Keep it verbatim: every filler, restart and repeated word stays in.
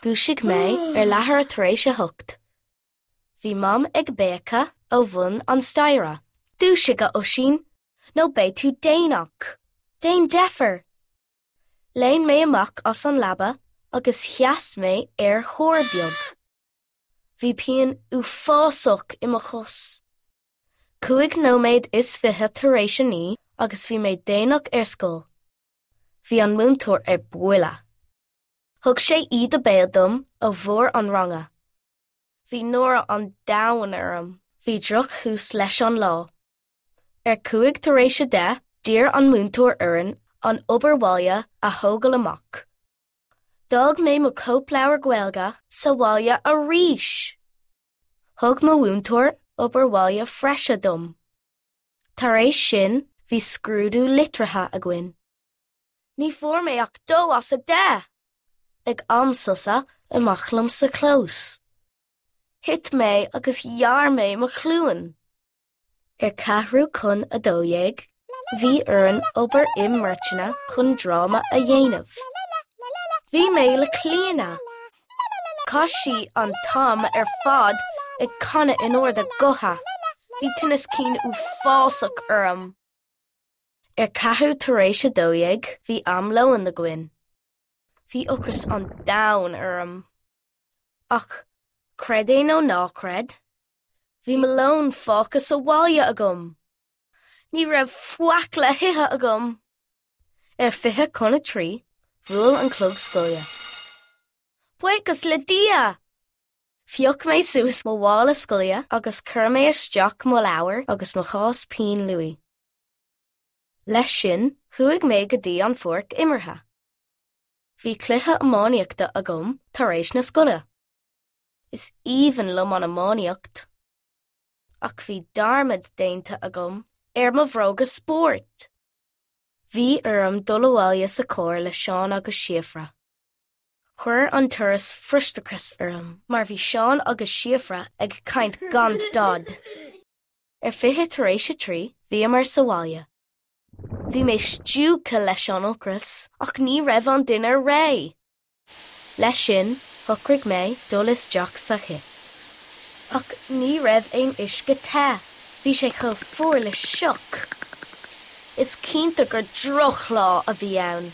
Dhúisigh mé ar leathuair tar éis a hocht. Bhí Mam ag béiceadh ó bhun an staighre. Dúisigh a Oisín, nó beidh tú déanach. Déan deifir. Léim mé amach as an leaba agus sheas mé ar thúr beag. Bhí pian uafásach i mo chos. Cúig nóiméad is fiche tar éis a naoi agus bhí mé déanach ar scoil. Bhí an múinteoir ar buile. Thug sé íde béil dom ó bharr an ranga. Bhí náire an domhain orm, bhí drochthús leis an lá. Ar cúig tar éis a deich d'iarr an múinteoir orainn an obair bhaile a thógáil amach. D'fhág mé mo chóipleabhar Gaeilge sa bhaile arís. Thug mo mhúinteoir obair bhaile bhreise dom. Tar éis sin bhí scrúdú litrithe againn. Ní fuair mé ach dó as a deich. Ag am sosa amach liom sa chlós. Thit mé agus ghearr mé mo chluain. Ar ceathrú chun a dó dhéag, bhí orainn obair i mbeirteanna chun dráma a dhéanamh. Bhí mé le Clíona. Chaith sí an t-am ar fad ag canadh in ard a gutha. Bhí tinneas cinn uafásach orm. Ar ceathrú tar éis a dó dhéag bhí am lóin againn. Bhí ocras an domhain orm. Ach creid é nó ná creid, Bhí mo lón fágtha sa bhaile agam. Ní raibh faic le hithe agam. Ar fiche chun a trí, bhuail an clog scoile. Buíochas le Dia! Phioc mé suas mo mhála scoile agus chuir mé isteach mo leabhar agus mo chás pinn luaidhe. Leis sin chuaigh mé go dtí an pháirc imeartha. Bhí cluiche iománaíochta agam tar éis na scoile. Is aoibhinn liom an iománaíocht. Ach bhí dearmad déanta agam ar mo bhróga spóirt. Bhí orm dul abhaile sa charr le Seán agus Síofra. Chuir an turas frustrachas orm mar bhí Seán agus Síofra ag caint gan stad. Ar fiche tar éis a trí bhíomar sa bhaile. Bhí mé stiúgtha leis an ocras ach ní raibh an dinnéar réidh. Leis sin shocraigh mé dul isteach sa chith. Ach ní raibh aon uisce te, bhí sé chomh fuar le sioc. Is cinnte gur drochlá a bhí ann.